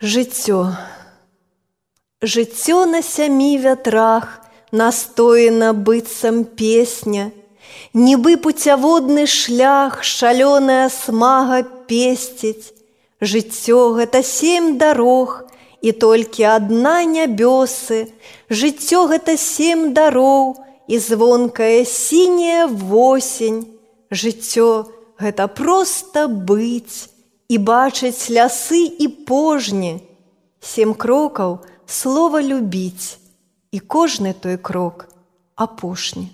Жыццё. Жыццё на сямі вятрах настоена быццам песня, нібы пуцяводны шлях шалёная смага песціць. Жыццё – гэта 7 дарог, і толькі адна нябёсы. Жыццё – гэта 7 дароў, і звонкая сіняя восень. Жыццё – гэта проста быць і бачыць лясы і пожні. 7 крокаў слова любіць, і кожны той крок апошні.